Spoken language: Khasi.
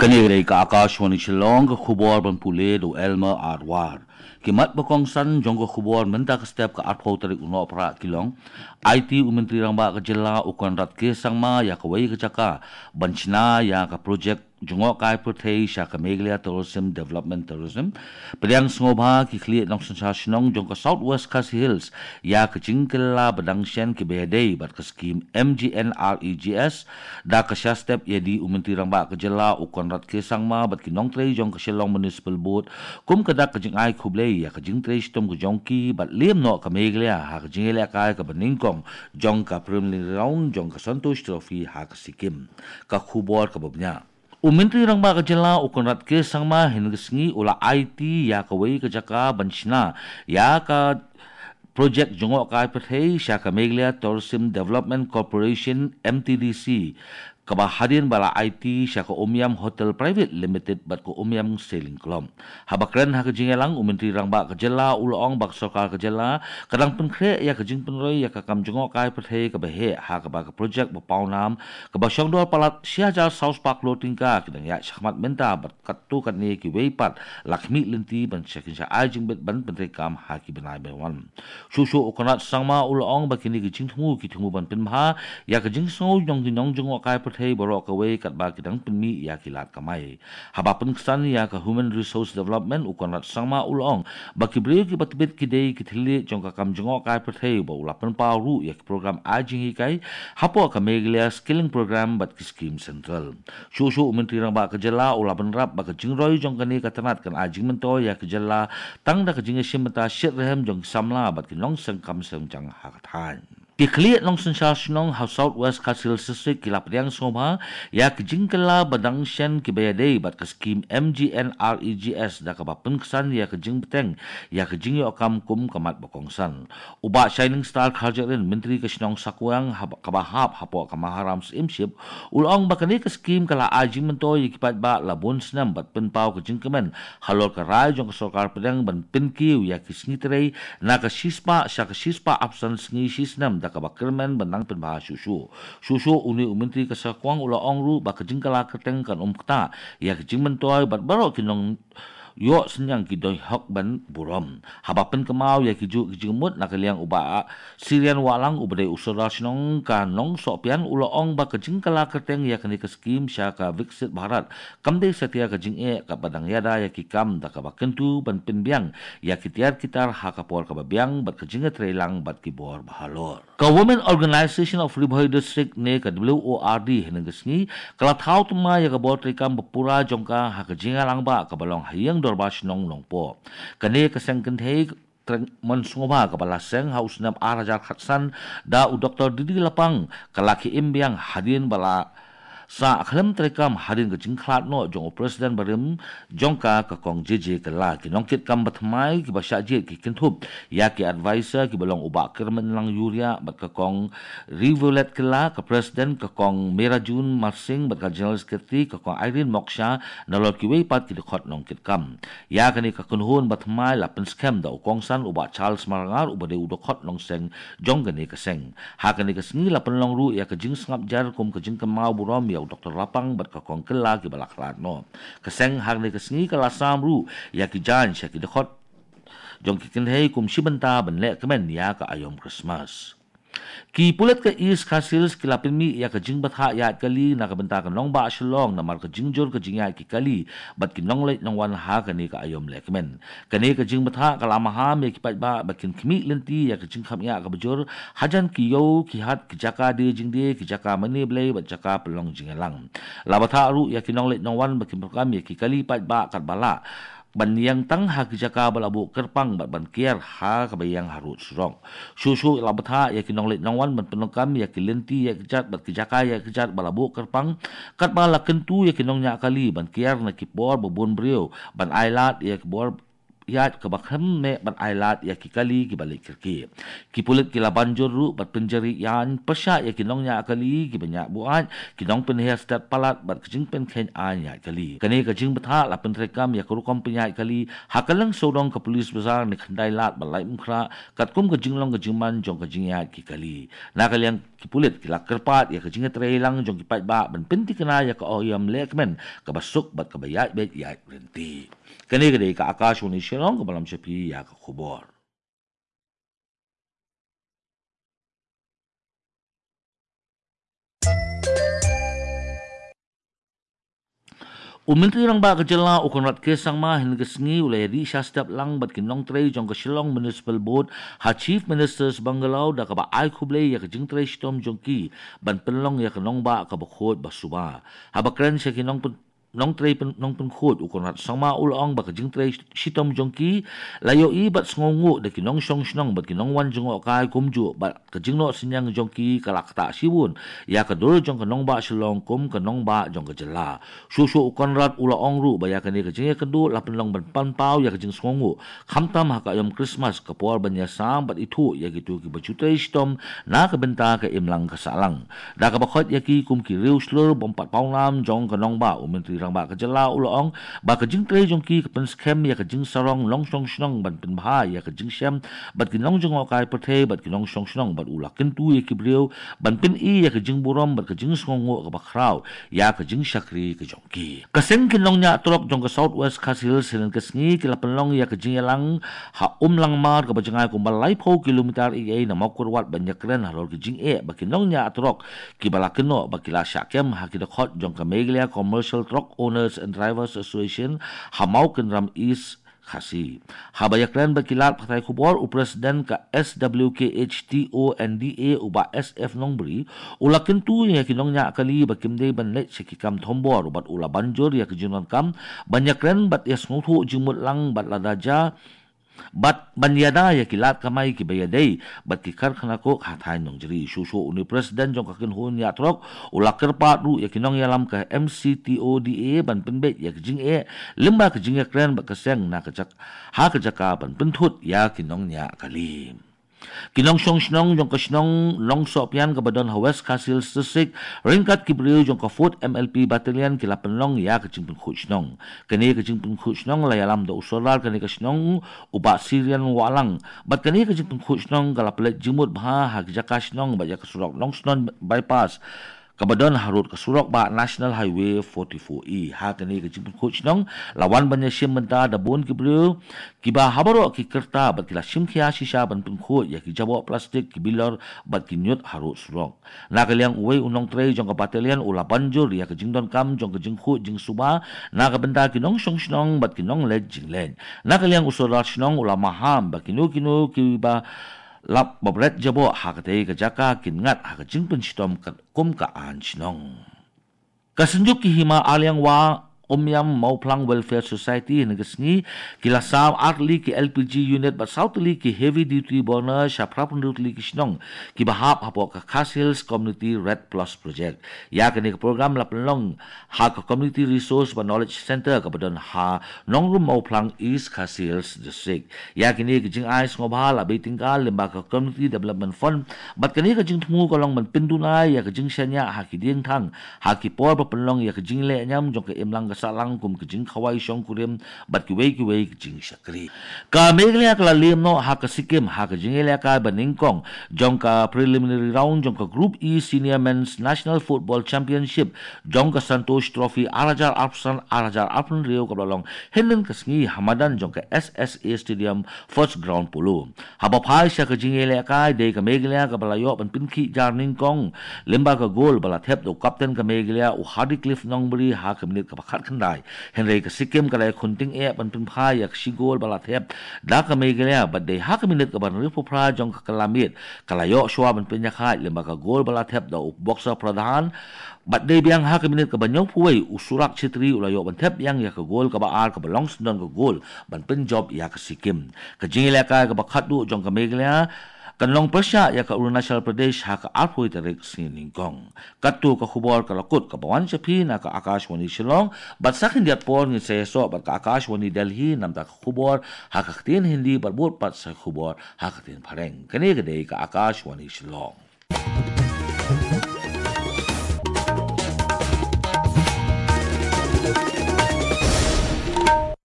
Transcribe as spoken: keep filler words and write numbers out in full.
Kane ka dei ka Akashvani Shillong, ka khubor ban pule da u Elmer Arwar. Ki mat ba kongsan jong ka khubor mynta ka step ka arphew tarik u Nohprah ki long: Aiti u Myntri Rangbah ka jylla u Conrad K Sangma ïa kawei ka jaka ban shna ïa ka projek jngohkai pyrthei sha ka Meghalaya Tourism Development Tourism. Pdiang sngewbha ki khlieh nongsynshar shnong jong ka South West Khasi Hills ïa ka jingkylla ba dang shen kiba ïadei bad ka skim M G N R E G S, da ka shah step ïa u Myntri Rangbah ka jylla u Conrad K Sangma bad ki nongtrei jong ka Shillong Municipal Board, kum ka dak ka jingai khublei ïa ka jingtrei shitom ka jong ki bad lem noh ka Meghalaya ha ka jingïalehkai kaba nyngkong jong ka preliminary round jong ka Santosh Trophy ha ka Sikkim. Ka khubor kaba bniah. U Myntri Rangbah ka jylla u Conrad K Sangma hynne ka sngi u la aiti ïa kawei ka jaka ban shna ïa ka projek jngohkai pyrthei sha ka Meghalaya Tourism Development Corporation, M T D C, kaba hadien ba la aiti sha ka Umiam Hotel Private Limited bad ka Umiam Sailing Club. Haba kren ha ka jingïalang, u Myntri Rangbah ka jylla u la ong ba ka sorkar ka jylla ka dang pynkhreh ïa ka jingpynroi ïa ka kam jngohkai pyrthei kaba heh, ha kaba ka projek ba pawnam kaba shongdor palat shi hajar saw spah klur tyngka ki dang ïaid shakhmat mynta bad katto katne kiwei pat la khmih lynti ban sha kin sha ai jingbit ban pyntreikam ha ki bnai ban wan. Shuh shuh u Conrad Sangma u la ong ba kine ki jingthmu ki thmu ban pynbha ïa ka jingsngew jong ki nongjngohkai pyrthei baroh kawei katba ki dang pynmih ïa ki lad kamai. Haba pynksan ïa ka Human Resource Development, u Conrad Sangma u la ong ba ki briew kiba tbit ki dei ki thylliej jong ka kam jngohkai pyrthei, ba u la pynpaw ruh ïa ki program ai jinghikai hapoh ka Meghalaya Skilling Program bad ki skim central. Shuh shuh u Myntri Rangbah ka jylla u la bynrap ba ka jingroi jong kane ka tnat kan ai jingmyntoi ïa ka jylla tang da ka jingïashim bynta shitrhem jong ki samla bad ki nongseng kam seng jong ha ka thaiñ. Ki khlieh nongsynshar shnong ha South West Khasi Hills District ki la pdiang sngewbha ïa ki jingkylla ba dang shen kiba ïadei bad ka skim M G N R E G S, da kaba pynksan ïa ka jingbteng ïa ka jingïoh kam kum ka mat ba kongsan. U Bah Shining Star Kharjahrin, Myntri ka shnong Sakuang, haba, kaba hap hapoh ka Maharam Syiemship, u la ong ba kane ka skim ka la ai jingmyntoi ïa ki paidbah la bun snem bad pynpaw ka jingkmen halor ka rai jong ka sorkar pdeng ban pynkiew ïa ki sngi trei na ka shispah sha ka shispah arphew san sngi shi snem da kaba kyrmen ban nang pynbha shuh shuh. Shuh shuh une u Myntri ka Sakuang u la ong ruh ba ka jingkylla kyrteng kan ym ktah ïa ka jingmyntoi bad baroh ki nong ïoh synñiang ki don hok ban burom. Haba pynkynmaw ïa ki juh ki jingmut na ka liang u Bah Syrian Wahlang uba dei u Sordar shnong ka Nongsohpian u la ong ba ka jingkylla kyrteng ïa kane ka skim sha ka Viksit Bharat kam dei satia ka jingeh kaba dang ïada ïa ki kam da kaba kyntu ban pynbiang ïa ki tiar ki tar ha ka por kaba biang bad ka jingïatreilang bad ki bor ba halor. Ka Women Organisation of Ri Bhoi District ne ka W O R D hynne ka sngi ka la thaw thymmai ïa ka bor treikam ba pura jong ka ha ka jingïalang ba kaba long ha ïing dorbar shnong Nongpoh. Kane ka seng kynthei trei mon sngewbha kaba la seng ha u snem ar hajar khatsan da u Doktor Didi Lapang ka la khie im biang hadien ba la sah khlem treikam hadien ka jingkhlad noh jong u President barim jong ka, ka Kong J J Kylla. Ki nongkitkam ba thymmai kiba shah jied ki kynthup ïa ki advisor kiba long u Bah Kyrmenlang Uriah bad ka Kong Riviolet Kylla, ka President ka Kong Merajun Marsing bad ka General Secretary ka Kong Irene Moksha, nalor kiwei pat ki dkhot nongkitkam. Ïa kane ka kynhun ba thymmai la pynskhem da u kongsan u Bah Charles Marngar uba dei u dkhot nongseng jong kane ka seng. Ha kane ka sngi la pynlong ruh ïa ka jingsngap jar kum ka jingkynmaw burom ïa u Doktor Lapang bad ka Kong Kylla kiba la khlad noh. Ka seng ha kane ka sngi ka la sam ruh ïa ki jaiñ sha ki dkhot jong ki kynthei kum shi bynta ban leh kmen ïa ka aïom Christmas. Ki pulit ka East Khasi Hills ki la pynmih ïa ka jingbthah ïaid kali na ka bynta ka nongbah Shillong namar ka jingjur ka jingïaid ki kali bad ki nongleit nongwan ha kane ka aïom lehkmen. Kane ka jingbthah ka la maham ïa ki paidbah ba kin khmih lynti ïa ka jingkham ïa kaba jur hajan ki ïew, ki hat, ki jaka die jingdie, ki jaka mane blei bad jaka pynlong jingïalang. La bthah ruh ïa ki nongleit nongwan ba kin pyndonkam ïa ki kali paidbah katba lah ban ïeng tang ha ki jaka ba la buh kyrpang bad ban kiar ha kaba ïeng harud surok. Shuh shuh la bthah ïa ki nongleit nongwan ban pyndonkam ïa ki lynti ïaid kjat bad ki jaka ïaid kjat ba la buh kyrpang, katba la kyntu ïa ki nongñiah kali ban kiar na ki por ba bun briew ban ailad ïa ki bor ïaid kaba khlem meh ban ai lad ïa ki kali kiba leit kyrkieh. Ki pulit ki la ban jur ruh bad pynjari ïaid pyrshah ïa ki nongñiah kali kiba ñiah buaid, ki nongpynher stet palat bad ka jingpynkheiñ aiñ ïaid kali. Kane ka jingbthah la pyntreikam ïa ka rukom pynïaid kali ha ka liang sawdong ka Police Bazar, ne khyndai lad bad laiphew phra, katkum ka jinglong ka jingman jong ka jingïaid ki kali. Na ka liang ki pulit ki la kyrpad ïa ka jingïatreilang jong ki paidbah ban pynthikna ïa ka ohiam lehkmen kaba suk bad kaba ïaid beit ïaid ryntih. Kane ka dei ka Akashvani Shillong kaba lam sha phi ïa ka khubor. U Myntri Rangbah ka Jylla u Conrad K Sangma hynne ka sngi u la ïadih shah step lang bad ki nongtrei jong ka Shillong Municipal Board ha Chief Minister's Bungalow da kaba ai khublei ïa ka jingtrei shitom jong ki ban pynlong ïa ka nongbah kaba khuid ba suba. Haba kren sha ki nongpyn nongtrei pyn-, nongpynkhuid, u Conrad Sangma u la ong ba ka jingtrei shitom jong ki la ïohi bad sngewnguh da ki nongshong shnong bad ki nongwan jngohkai, kumjuh bad ka jingnoh synñiang jong ki ka la ktah shibun ïa ka dur jong ka nongbah Shillong kum ka nongbah jong ka jylla. Shuh shuh u Conrad u la ong ruh ba ïa kane ka jingïakynduh la pynlong ban pynpaw ïa ka jingsngewnguh, khamtam ha ka aïom Christmas, ka por ban ïasam bad ithuh ïa kito kiba ju trei shitom na ka bynta ka imlang ka sahlang. Da kaba khot ïa ki kum ki riewshlur bym pat pawnam jong ka nongbah, u Myntri Rangbah ka Jylla u la ong ba ka jingtrei jong ki ka pynskhem ïa ka jingsarong nongshong shnong ban pynbha ïa ka jingshem bad ki nongjngohkai pyrthei bad ki nongshong shnong, bad u la kyntu ïa ki briew ban pyni ïa ka jingburom bad ka jingsngewnguh kaba khraw ïa ka jingshakri ka jong ki. Ka seng ki nongñiah trok jong ka South West Khasi Hills hynne ka sngi ki la pynlong ïa ka jingïalang ha Umlangmar kaba jngai kumba laiphew kilometer eiei na Mawkyrwat ban ïakren halor ki jingeh ba ki nongñiah trok kiba la kynnoh ba ki la shah kem ha ki dkhot jong ka Meghalaya Commercial Truck Owners and Drivers Association ha Mawkynram East Khasi. Haba ïakren bad ki lad pathai khubor, u President ka S W K H T O N D A u Bah S F Nongbri u la kyntu ïa ki nongñiah kali ba kim dei ban leit sha ki kam thombor bad u la ban jur ïa ki jingdonkam ban ïakren bad ïasngewthuh jingmut lang bad lada jia bad ban ïada ïa ki lad kamai kiba ïadei bad ki karkhana coke ha thaiñ Nongjri. Shuh shuh une u President jong ka kynhun ñiah trok u la kyrpad ruh ïa ki nongïalam ka M C T O D A ban pynbeit ïa ka jingeh lyngba ka jingïakren bad ka seng na ka jak-, ha ka jaka ban pynthut ïa ki nongñiah kali. Ki nongshong shnong jong ka shnong Nongsohpian kaba don ha West Khasi Hills District, ryngkat ki briew jong ka Fourth M L P Battalion ki la pynlong ïa ka jingpynkhuid shnong. Kane ka jingpynkhuid shnong la ïalam da u Sordar kane ka shnong, u Bah Syrian Wahlang. Bad kane ka jingpynkhuid shnong ka la pynleit jingmut bha ha ki jaka shnong bad ïa ka surok Nongshnong Bypass kaba don harud ka surok bah National Highway forty-four E. Ha kane ka jingpynkhuid shnong la wan ban ïashim bynta da bun ki briew kiba ha baroh ki kyrta bad ki la shim khia shisha ban pynkhuid ïa ki jaboh plastik, ki bilor bad ki ñiut harud surok. Na ka liang uwei u nongtrei jong ka battalion u la ban jur ïa ka jingdonkam jong ka jingkhuid jingsuba na ka bynta ki nongshong shnong bad ki nongleit jingleit. Na ka liang u Sordar shnong u la maham ba kino kino kiba lap ba bret jaboh ha katei ka jaka kin ngat ha ka jingpynshitom kat-, kum ka aiñ shnong. Ka Synjuk ki Hima Aliang Wah Umiam Mawphlang Welfare Society hynne ka sngi ki la sam ar tylli ki L P G unit bad saw tylli ki heavy duty burner sha phra phew hynriew tylli ki shnong kiba hap hapoh ka Khasi Hills Community Red Plus Project. Ïa kane ka program la pynlong ha ka Community Resource bad Knowledge Center kaba don ha Nongrum Mawphlang, East Khasi Hills District. Ïa kine ki jingai sngewbha la bei tyngka lyngba ka Community Development Fund bad kane ka jingthmu ka long ban pynduna ïa ka jingshaniah ha ki diengthang ha ki por ba pynlong ïa ka jingleh niam jong ka imlang ka sahlang kum ka jingkhawai shongkurim bad kiwei kiwei ki jingshakri. Ka Meghalaya ka la lem noh ha ka Sikkim ha ka jingïalehkai ba nyngkong jong ka preliminary round jong ka Group E Senior Men's National Football Championship jong ka Santosh Trophy ar hajar arphew san ar hajar arphew hynriew kaba la long hynnin ka sngi ha madan jong ka S S A Stadium, First Ground Polo. Haba phai sha ka jingïalehkai, dei ka Meghalaya kaba la ïoh ban pynkhih jar nyngkong lyngba ka gol ba la thep da u kapten ka Meghalaya u Hardy Cliff Nongbri ha ka minit kaba khatkhyndai. Hynrei ka Sikkim ka la ïakhun tyngeh ban pynphai ïa ka shi gol ba la thep da ka Meghalaya bad dei ha ka minit kaba hynriewphew phra jong ka kylla miet ka la ïoh shuwa ban pynïakhaid lyngba ka gol ba la thep da u Boxer Pradhan. Bad dei biang ha ka minit kaba hynñiewphew wei u Suraj Chhetri u la ïoh ban thep biang ïa ka gol kaba ar kaba long syndon ka gol ban pynjop ïa ka Sikkim. Ka jingïalehkai kaba khatduh jong ka Meghalaya Kan long pyrshah ïa ka Arunachal Pradesh ha ka arphew tarik sngi Nyngkong. Katto ka khubor ka la kut kaba wan sha phi na ka Akashvani Shillong, bad sa khyndiat por ngin sa ïasoh bad ka Akashvani Delhi namar ka khubor ha ka ktien Hindi bad bud pat sa khubor ha ka ktien Phareng. Kane ka dei ka Akashvani Shillong.